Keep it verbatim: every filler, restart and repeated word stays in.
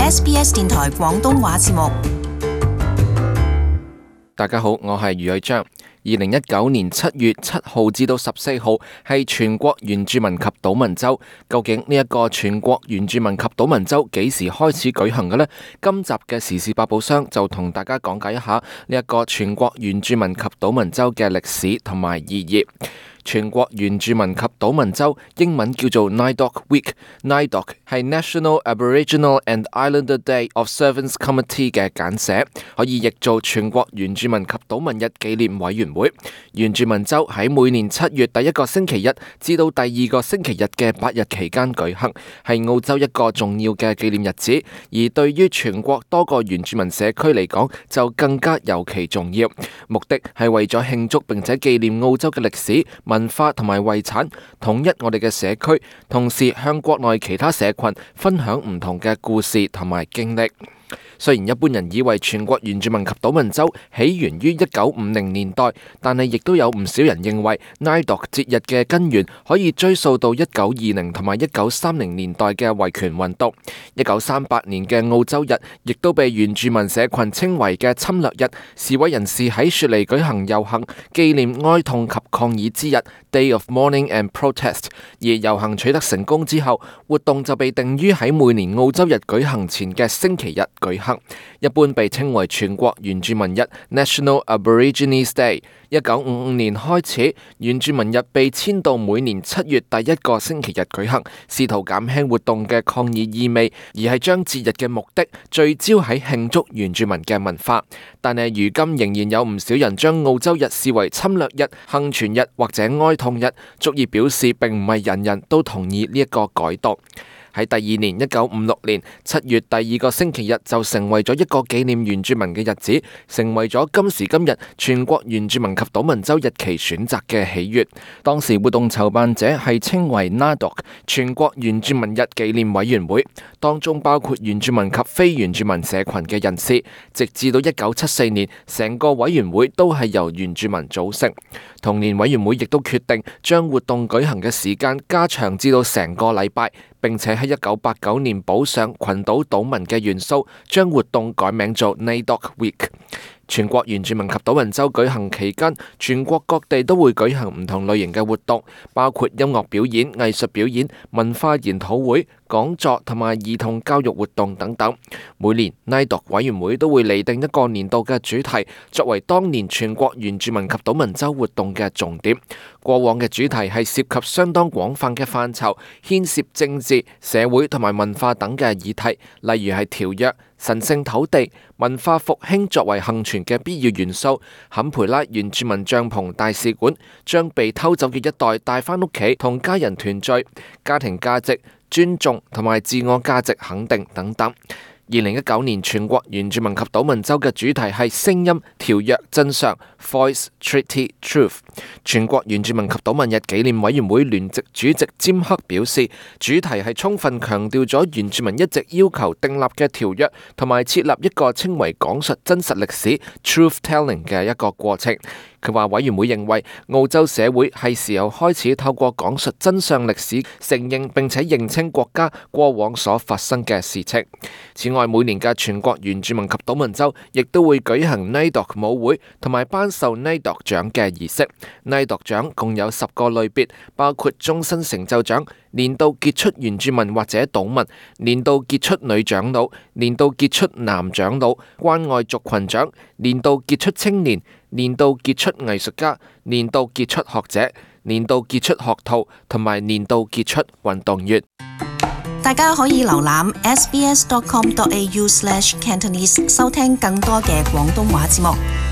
S B S 電台廣東話節目。大家好，我係余偉章。二零一九年七月七號至到十四號係全國原住民及島民週，究竟呢一個全國原住民及島民週幾時開始舉行嘅呢？今集嘅時事百寶箱就同大家講解一下呢一個全國原住民及島民週嘅歷史同埋意義。全國原住民及島民週英文叫做 NAIDOC Week，NAIDOC 係 National Aboriginal and Islander Day Observance Committee 嘅簡寫，可以譯做全國原住民及島民日紀念委員會。原住民週喺每年七月第一個星期日至到第二個星期日嘅八日期間舉行，係澳洲一個重要嘅紀念日子，而對於全國多個原住民社區嚟講就更加尤其重要。目的係為咗慶祝並且紀念澳洲嘅歷史、文化同埋遺產，統一我哋嘅社區，同時向國內其他社群分享唔同嘅故事同埋經歷。雖然一般人以為全國原住民及島民週起源於一九五零年代，但係亦都有唔少人認為 NAIDOC 節日嘅根源可以追溯到一九二零同埋一九三零年代嘅維權運動。一九三八年嘅澳洲日亦都被原住民社群稱為嘅侵略日，示威人士喺雪梨舉行遊行，紀念哀痛及抗議之日 Day of Mourning and Protest。而遊行取得成功之後，活動就被定於喺每年澳洲日舉行前嘅星期日舉行。一般被稱為全國原住民日 National Aborigines Day。一九五五年開始，原住民日被遷到每年七月第一個星期日舉行，試圖減輕活動嘅抗議意味，而係將節日嘅目的聚焦喺慶祝原住民嘅文化。但係如今仍然有唔少人將澳洲日視為侵略日、幸存日或者哀痛日，足以表示並唔係人人都同意呢一個改動。喺第二年一九五六年七月第二個星期日就成為咗一個紀念原住民嘅日子，成為咗今時今日全國原住民及島民週日期選擇嘅喜悅。當時活動籌辦者係稱為 NAIDOC 全國原住民日紀念委員會，當中包括原住民及非原住民社群嘅人士。直至到一九七四年，成個委員會都係由原住民組成。同年委員會亦都決定將活動舉行嘅時間加長至到成個禮拜，並且喺一九八九年補上群島島民嘅元素，將活動改名做 NAIDOC Week。全國原住民及島民週舉行期間，全國各地都會舉行唔同類型嘅活動，包括音樂表演、藝術表演、文化研討會、講座同埋兒童教育活動等等。每年 NAIDOC 委員會都會釐定一個年度嘅主題，作為當年全國原住民及島民週活動嘅重點。過往嘅主題係涉及相當廣泛嘅範疇，牽涉政治、社會同埋文化等嘅議題，例如係條約、神聖土地、文化復興作為幸存嘅必要元素、坎培拉原住民帳篷大使館、將被偷走嘅一代帶返屋企同家人團聚、家庭價值、尊重同埋自我價值肯定等等。二零一九年全國原住民及島民週嘅主題係聲音、條約、真相 Voice, Treaty, Truth。全國原住民及島民日紀念委員會聯席主席詹克表示，主題係充分強調咗原住民一直要求訂立嘅條約，同埋設立一個稱為講述真實歷史 Truth Telling 嘅一個過程。佢話委員會認為澳洲社會係時候開始透過講述真相歷史，承認並且認清國家過往所發生嘅事情。此外，每年嘅全國原住民及島民週亦都會舉行 NAIDOC 舞會同埋頒授 NAIDOC 獎嘅儀式。NAIDOC 獎共有十個類別，包括終身成就獎、年度傑出原住民或者島民、年度傑出女長老、年度傑出男長老、關愛族群獎、年度傑出青年、年度傑出藝術家、年度傑出學者、年度傑出學徒同埋年度傑出運動員。大家可以瀏覽 s b s dot com dot a u slash cantonese 收聽更多嘅廣東話節目。